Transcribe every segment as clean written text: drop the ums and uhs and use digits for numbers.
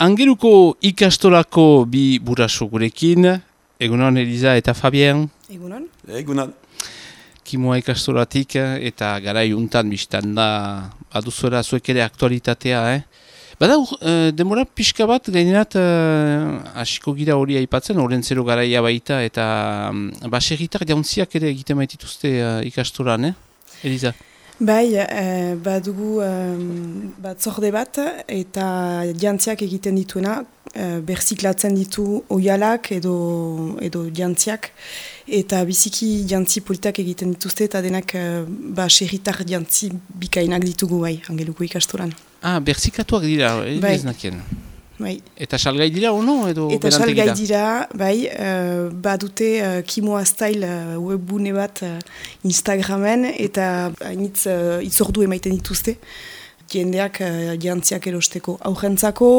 Angeluko ikastolako bi buraso gurekin, egunon Eliza eta Fabien. Egunon. Egunon. Kimoa ikastolatik eta garai untan biztan da baduzuela zuek ere aktualitatea, Bada, demora pixka bat gainerat hasiko gira hori aipatzen, Olentzero garaia baita eta baserritar jauntziak ere egiten baitituzte ikastolan, Eliza? Bai, badugu batzorde bat eta jantziak egiten dituena, berziklatzen ditu oialak edo jantziak, eta biziki jantzi politak egiten dituzte eta denak baserritar jantzi bikainak ditugu bai, Angeluko ikastolan. Berziklatuak dira, bai. Ez nakien. Bai. Eta salgai dira ono edo eta berantegi salgai da? dira, bai, badute Kimoa Style webbune bat Instagramen eta hainitz itzordu emaiten dituzte. Jendeak jantziak erosteko aurrentzako,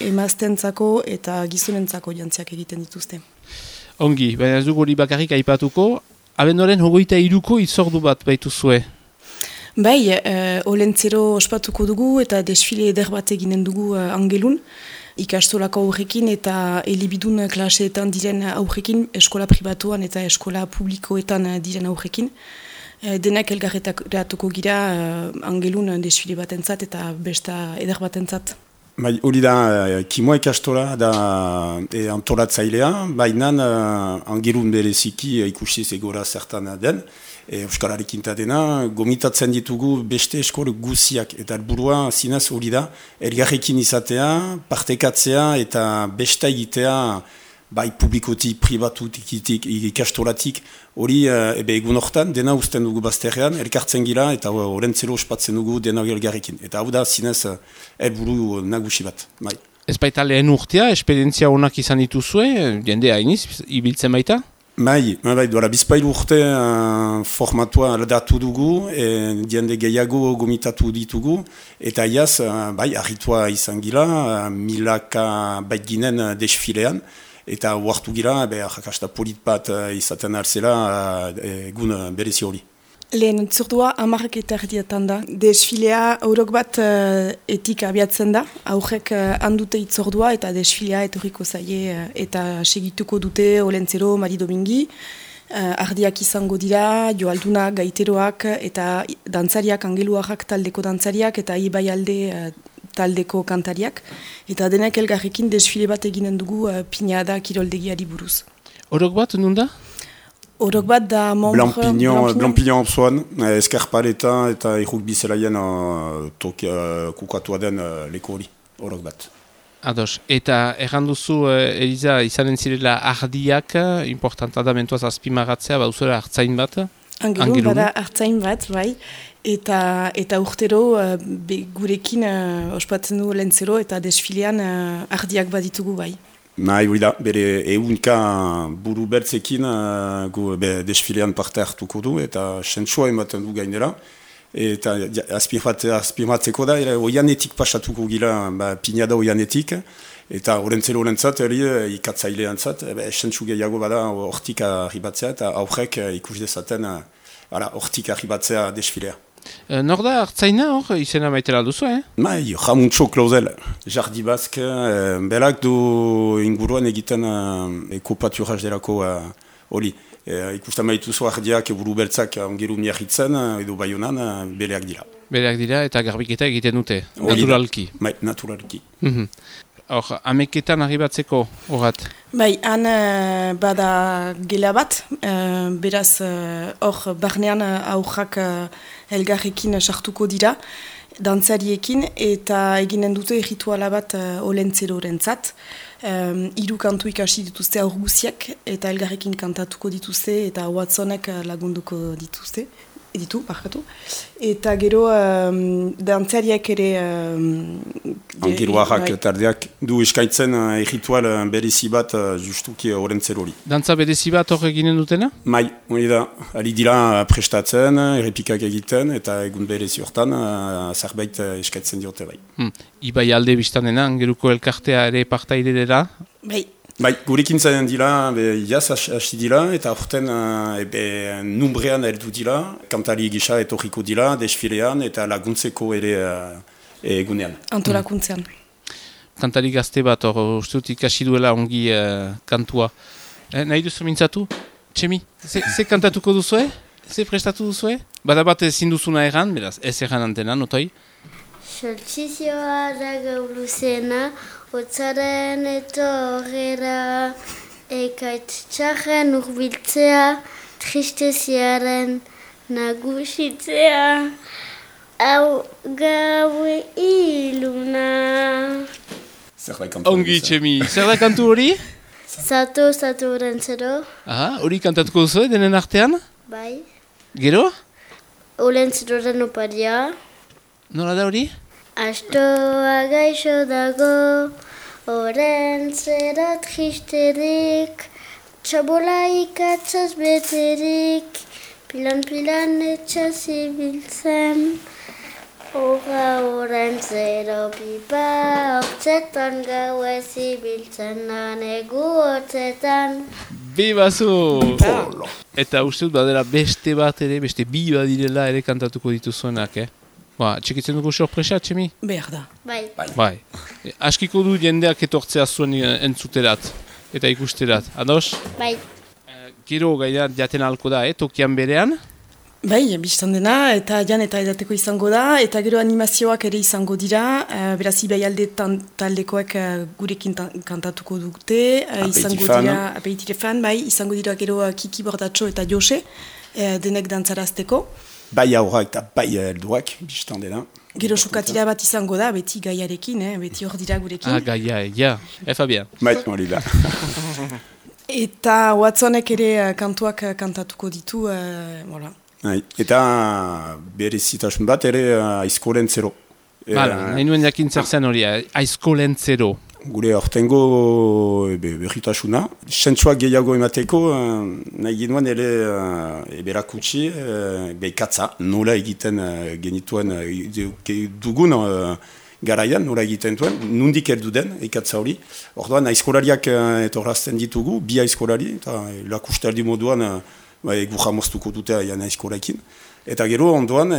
emaztentzako eta gizonentzako jantziak egiten dituzte. Ongi, baina ez dugu hori bakarrik aipatuko, abenduaren 23ko itzordu bat baituzue. Bai, Olentzero ospatuko dugu eta desfile eder bat eginen dugu Angelun. Ikastolako aurrekin eta elebidun klaseetan diren aurrekin, eskola pribatuan eta eskola publikoetan diren aurrekin. Denak elgarretatuko gira Angelun desfile batentzat eta besta eder batentzat. Bai, hori da, Kimoa ikastola da antolatzailea, baina Angelun bereziki ikusi zegora zertan den. Euskararekin dena, gomitatzen ditugu beste eskol guziak eta helburua zinez hori da, elgarrekin izatea, partekatzea eta besta egitea bai publikotik, pribatutik, ikastolatik, hori egun hortan dena usten dugu bazterrean, elkartzen gira eta Olentzero ospatzen dugu dena elgarrekin. Eta hau da zinez helburu nagusi bat. Bai. Ez baita lehen urtea, esperientzia honak izan dituzue, jende hainiz, ibiltzen baita? Bai, duela bizpailu urte formatua aldatu dugu, jende gehiago gomitatu ditugu, eta iaz, bai, arritua izan gila, milaka bait ginen desfilean, eta huartu gila, jakasta polit bat izaten alzela egun berezi hori. Lehen itzordua 10:00 da. Desfilea aurok bat etik abiatzen da. Aurrek handute itzordua eta desfilea etorriko zaie eta segituko dute Olentzero, Mari Domingi. Ardiak izango dira, joaldunak, gaiteroak eta dantzariak, angeluarrak taldeko dantzariak eta Ibaialde taldeko kantariak. Eta denak elgarrekin desfile bat eginen dugu Pinada kiroldegiari buruz. Orok bat, nun da? Orok bat da Blampignon Opzoan, Eskarpaleta eta Irrugbi Zelaien kukatua den leku hori, orok bat. Ados, eta erranduzu, Eliza, izanen zirela ardiak, importanta da mentuaz azpimagatzea, bauzera hartzain bat? Angelun bada hartzain bat, bai, eta urtero gurekin ospatzen du Olentzero eta desfilean ardiak baditugu, bai. Nahi, hori da, bere eunka buru bertzekin desfilean parte hartuko du eta sentsua ematen du gainera. Eta azpimatzeko da, oianetik pasatuko gila, Pinada oianetik, eta Olentzero olentzat, ikatzailean zat, sentsu gehiago bada hortik arribatzea eta aurrek ikus dezaten hortik arribatzea desfilea. Nor da hartzaina hor, izena maitela duzu, Bai, Jamuntxo Klauzel, Jardi Bask, belak du inguruan egiten ekopaturaz delako hori. Ikusten maituzu ardiak buru beltzak Angeru miarritzen, edo Baionan, beleak dira. Beleak dira eta garbiketa egiten dute, naturalki. Bai, naturalki. Hor, ameketan arribatzeko horat? Bai, han bada gela bat, beraz hor barnean aurrak elgarrekin sartuko dira, dantzariekin, eta eginen dute rituala bat Olentzerorentzat. 3 kantu ikasi dituzte aur guziak, eta elgarrekin kantatuko dituzte, eta Watsonek lagunduko dituzte. Eta gero dantzariak ere Angeluarrak tardeak du eskaintzen ritual berezi bat justuki Olentzero hori. Dantza berezi bat hor eginen dutena? Mai, hori da, ari dira prestatzen, errepikak egiten eta egun berezi hortan zerbait eskaintzen diote bai. Ibaialde biztanena, Angeluko elkartea ere partaide dela? Bai, gurekin zaten dira, jaz hasi dira, eta horten numbrean heldu dira, kantari gisa etorriko dira, desfilean eta laguntzeko ere egunean. Antolakuntzean. kantari gazte bat, hor uste dut ikasi duela ongi kantua. Nahi duzu mintzatu? Txemi, ze kantatuko duzue? Ze prestatu duzue? Bada bat ezin duzuna erran, beraz, ez erran antenan, otoi? Soltzizioa da gaur luzena, hotzaren etorrera, ekaitz txarren urbiltzea, tristeziaren nagusitzea, hau gaue iluna. Ongi, Txemi, zer da kantu hori? Zato Olentzero. Aha, hori kantatuko duzue, denen artean? Bai. Gero? Olentzeroren oparia. Nola da hori? Astoa gaixo dago, Olentzero tristerik, txabola ikatzaz beterik, pilan etxaz ibiltzen. Hora Olentzero pipa, hortzetan gau ez ibiltzen da negu hortzetan. Bibazu! Eta uste dut badera beste bat ere, beste bi badirela ere kantatuko dituzuenak, txekitzen dugu sorpresa, Txemi? Behar da. Bai. Askiko du jendeak etortzea zuen entzuterat eta ikusterat, ados? Bai. Gero gaina jaten alko da, tokian berean? Bai, biztan dena, eta jan eta edateko izango da, eta gero animazioak ere izango dira, beraz ibai alde taldekoek gurekin kantatuko dute, izango dira, aperitifan, bai, izango dira gero Kiki Bordatxo eta Jose, denek dantzarazteko. Bai aurrak eta bai helduak, biztan dena. Gero sokatira bat izango da, beti gaiarekin, beti hor dira gurekin. Gaia, Fabien. Bai, hori da. Eta Watsonek ere kantuak kantatuko ditu, voilà. Eta berezitasun bat ere Aizkolentzero. Nahi nuen jakin zer zen hori, Aizkolentzero. Gure aurtengo berritasuna. Sentsuak gehiago emateko, nahi ginoen ere berakutsi, katza, nola egiten genituen dugun garaian, nola egiten duen, nundik erdu den, ikatza hori. Orduan, aizkolariak etorrazten ditugu, bi aizkolari, eta lakustaldi moduan egu jamoztuko dute aian aizkorakin. Eta gero ondoan,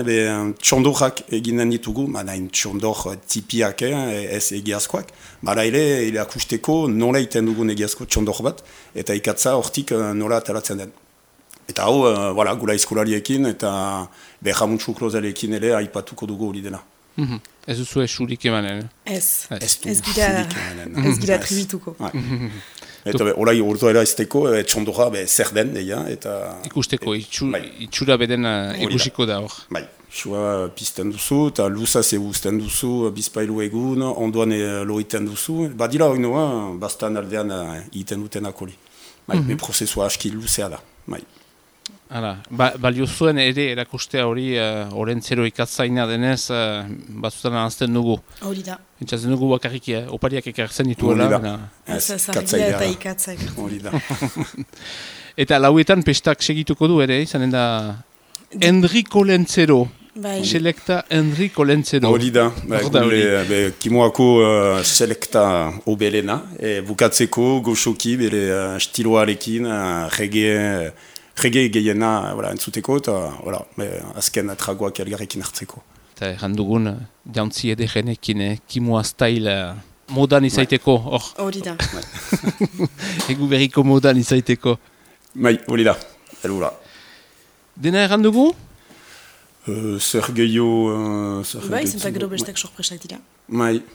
txondorrak eginen ditugu, nahin txondor tipiak, ez egiazkoak, bada ere akusteko nola iten dugun egiazko txondor bat, eta ikatza hortik nola ateratzen den. Eta hau, gula aizkolariekin, eta Jamuntxu Klozalekin ere aipatuko dugu hori dena. Ez duzu esurik emanen? Ez gira tribituko. Eta horai urduera ezteko, txondora zer den, eta... Ikusteko, itxura beden egusiko da hor. Bai, xua pizten duzu, eta luzaz eguzten duzu, bizpailu egun, ondoan lo iten duzu. Badira hori noa, bastan aldean iten dutenak hori. Prozesua aski luzea da. Balio zuen ere erakustea hori Olentzero ikatzaina denez batzutan anazten dugu. Hori da. Entzatzen dugu bakarrik opariak ekartzen dituela. Hori da. Zargia eta ikatza ekartzen. Hori da. Eta lauetan pestak segituko du ere, izanen da Enrico Lentzero. Selekta Enrico Lentzero. Hori da. Kimoako selekta obelena. Bukatzeko goxoki bere stiloarekin, reggae gehiena entzuteko eta azken tragoak elgarrekin hartzeko. Eta errandugun jantzi edegenekin Kimoa style modan izaiteko. Hori da. Egu berriko modan izaiteko. Hori da. Elura. Dena errandugu? Zer gehiago... Zenta gero bestek sorpresak dira.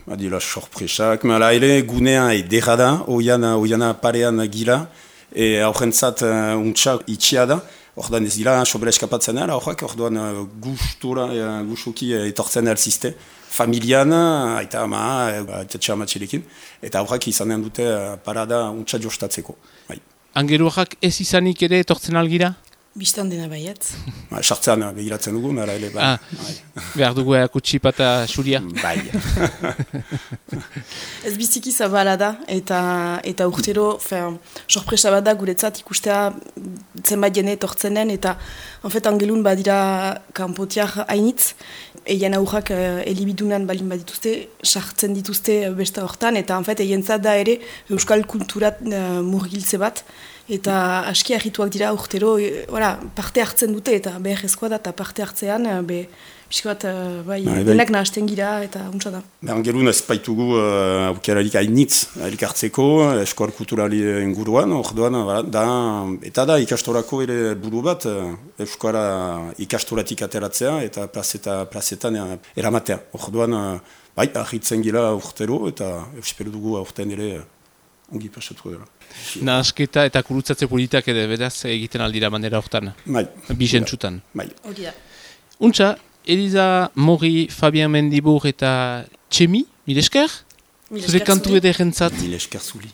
Adila sorpresak. Ere gunea edera da, oiana parean gira. Horrentzat untxak itxia da, orduan ez dira sobera eskapatzen ala, orduan gustuki etortzen alzizte, familian, aita ama, aita amatxelekin, eta horrak izanen dute parada untxak jostatzeko. Angeruak ez izanik ere etortzen algira? Bistan dena baiet. Sartzean begiratzen dugu, nara ere. Behar dugu erakutsi pata xuria. Bai. Ez biziki zabala da, eta urtero, sorpresa bat da guretzat ikustea zenbait jene etortzenen, eta angelun badira kanpotiak hainitz, eien aurrak elibidunan balin badituzte, sartzen dituzte besta hortan, eta eientzat da ere euskal kulturat murgiltze bat, eta aski harrituak dira urtero, parte hartzen dute, eta beharrezkoa da, eta parte hartzean, Piskat, denak nahasten gira eta untsa da. Angelun ez baitugu aukerarik hainitz elkartzeko, eskola kulturali inguruan, orduan, eta da ikastorako ere buru bat, euskara ikastoratik ateratzea eta plazetan eramatea. Orduan, ahitzen gira urtero eta espero dugu aurten ere ongi pasatuko dela. Nahasketa eta kurutzatze politak ere beraz egiten aldira manera hortan. Bai. Bizentzutan. Bai. Untsa, Eliza Mori, Fabien Mendibur eta Txemi, mil esker? Zure kantu ederentzat. Mil esker zuli.